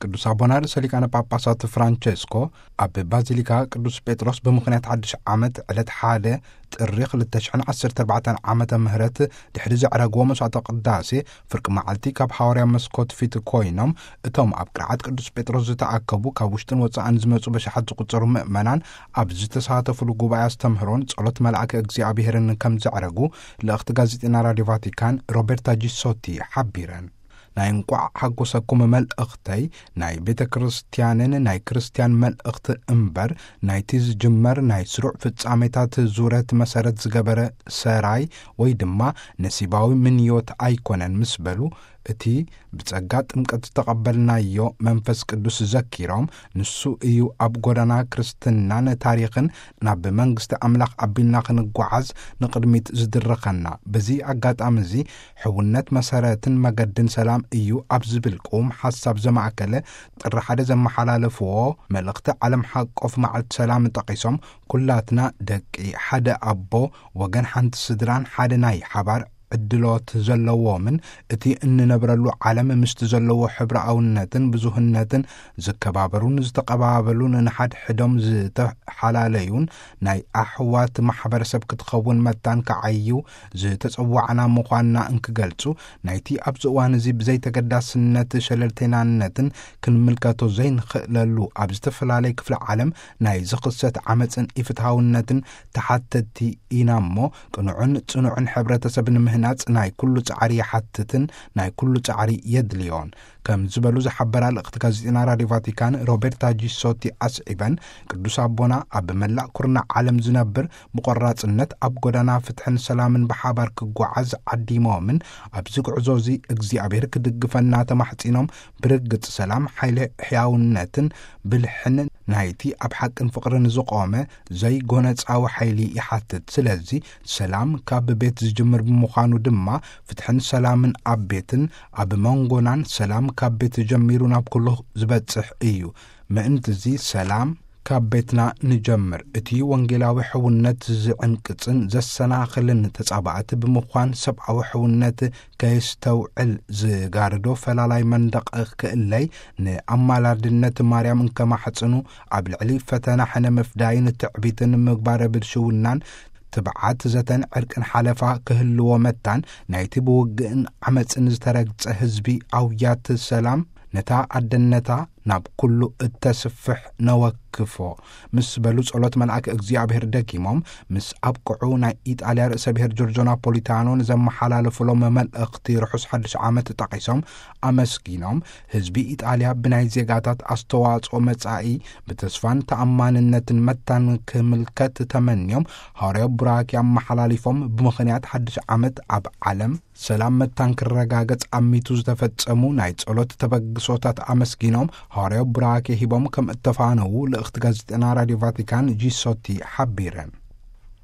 ቅዱስ ኣቦና ርእሰ ሊቃነ ጳጳሳት ፍራንቸስኮ ኣብ ባዚሊካ ቅዱስ ጴጥሮስ ብምኽንያት ሓድሽ ዓመት ዕለት ሓደ ጥሪ ክልተ ሽሕን ዓሰርተ ኣርባዕተን ዓመተ ምህረት ድሕሪ ዘዕረግዎ መስዋዕተ ቅዳሴ ፍርቂ መዓልቲ ካብ ሃዋርያ መስኮት ፊት ኮይኖም፣ እቶም ኣብ ቅርዓት ቅዱስ ጴጥሮስ ዝተኣከቡ ካብ ውሽጥን ወጻእን ዝመጹ በሽሓት ዝቁጸሩ ምእመናን ኣብ ዝተሳተፉሉ ጉባኤ ኣስተምህሮን ጸሎት መልኣከ እግዚኣብሔርን ከም ዘዕረጉ ልእኽቲ ጋዜጠና ራዲዮ ቫቲካን ሮቤርታ ጂሶቲ ሓቢረን። ናይ እንቋዕ ሓጎሰኩም መልእኽተይ ናይ ቤተ ክርስቲያንን ናይ ክርስቲያን መልእኽቲ እምበር፣ ናይቲ ዝጅመር ናይ ስሩዕ ፍጻሜታት ዙረት መሰረት ዝገበረ ሰራይ ወይ ድማ ነሲባዊ ምንዮት ኣይኮነን ምስ በሉ፣ እቲ ብጸጋ ጥምቀት ዝተቐበልናዮ መንፈስ ቅዱስ ዘኪሮም፣ ንሱ እዩ ኣብ ጎዳና ክርስትናን ታሪኽን ናብ መንግስቲ ኣምላኽ ኣቢልና ክንጓዓዝ ንቕድሚት ዝድርኸና። በዚ ኣጋጣሚ እዚ ሕውነት መሰረትን መገድን ሰላም እዩ ኣብ ዝብል ቅዉም ሓሳብ ዘማእከለ ጥሪ ሓደ ዘመሓላለፍዎ መልእኽቲ ዓለም ሓቆፍ መዓልቲ ሰላም ጠቒሶም፣ ኩላትና ደቂ ሓደ ኣቦ፣ ወገን ሓንቲ ስድራን ሓደ ናይ ሓባር ዕድሎት ዘለዎምን፣ እቲ እንነብረሉ ዓለም ምስቲ ዘለዎ ሕብረኣውነትን ብዙህነትን ዝከባበሩን ዝተቐባበሉን ንሓድሕዶም ዝተሓላለዩን ናይ ኣሕዋት ማሕበረሰብ ክትኸውን መታን ከዓዩ ዝተጸዋዕና ምዃንና እንክገልጹ፣ ናይቲ ኣብዚ እዋን እዚ ብዘይተገዳስነት ሸለልተይናነትን ክንምልከቶ ዘይንኽእለሉ ኣብ ዝተፈላለየ ክፍለ ዓለም ናይ ዝኽሰት ዓመጽን ኢፍትሃውነትን ተሓተቲ ኢና እሞ፣ ቅኑዕን ጽኑዕን ሕብረተሰብ ንምህናጽ ናይ ኩሉ ጻዕሪ ይሓትትን ናይ ኩሉ ጻዕሪ የድልዮን ከም ዝበሉ ዝሓበራ ልእኽቲ ጋዜጠና ራዲዮ ቫቲካን ሮቤርታ ጂሶቲ ኣስዒበን፣ ቅዱስ ኣቦና ኣብ መላእ ኩርናዕ ዓለም ዝነብር ብቆራጽነት ኣብ ጎዳና ፍትሕን ሰላምን ብሓባር ክጓዓዝ ዓዲሞምን፣ ኣብዚ ጉዕዞ እዚ እግዚኣብሔር ክድግፈና ተማሕጺኖም፣ ብርግጽ ሰላም ሓይሊ ሕያውነትን ብልሕን ናይቲ ኣብ ሓቅን ፍቕርን ዝቖመ ዘይጎነጻዊ ሓይሊ ይሓትት። ስለዚ ሰላም ካብ ቤት ዝጅምር ብምዃኑ ድማ፣ ፍትሕን ሰላምን ኣብ ቤትን ኣብ መንጎናን ሰላም ካብ ቤት ጀሚሩ ናብ ኩሉ ዝበጽሕ እዩ። ምእንቲ እዚ ሰላም ካብ ቤትና ንጀምር። እቲ ወንጌላዊ ሕውነት ዝዕንቅጽን ዘሰናኽልን ተጻባእቲ ብምዃን ሰብኣዊ ሕውነት ከየስተውዕል ዝጋርዶ ፈላላይ መንደቕ ክእለይ፣ ንኣማላድነት ማርያም እንከማሕጽኑ ኣብ ልዕሊ ፈተና ሕነ ምፍዳይን ትዕቢትን ምግባረ ብልሽውናን ትብዓት ዘተን ዕርቅን ሓለፋ ክህልዎ መታን ናይቲ ብውግእን ዓመጽን ዝተረግጸ ህዝቢ ኣውያት ሰላም ነታ ኣደነታ ናብ ኩሉ እተስፍሕ ነወክፎ ምስ በሉ ጸሎት መልኣክ እግዚኣብሔር ደጊሞም ምስ ኣብቅዑ ናይ ኢጣልያ ርእሰ ብሔር ጆርጆ ናፖሊታኖ ንዘመሓላለፉሎም መልእኽቲ ርሑስ ሓድሽ ዓመት ጠቒሶም ኣመስጊኖም ህዝቢ ኢጣልያ ብናይ ዜጋታት ኣስተዋጽኦ መጻኢ ብተስፋን ተኣማንነትን መታን ክምልከት ተመንዮም ሃዋርያዊ ቡራኪ ኣመሓላሊፎም ብምኽንያት ሓድሽ ዓመት ኣብ ዓለም ሰላም መታን ክረጋገጽ ኣሚቱ ዝተፈጸሙ ናይ ጸሎት ተበግሶታት ኣመስጊኖም ሃዋርያዊ ቡራኬ ሂቦም ከም እተፋነዉ ልእኽቲ ጋዜጠና ራዲዮ ቫቲካን ጂሶቲ ሓቢረን።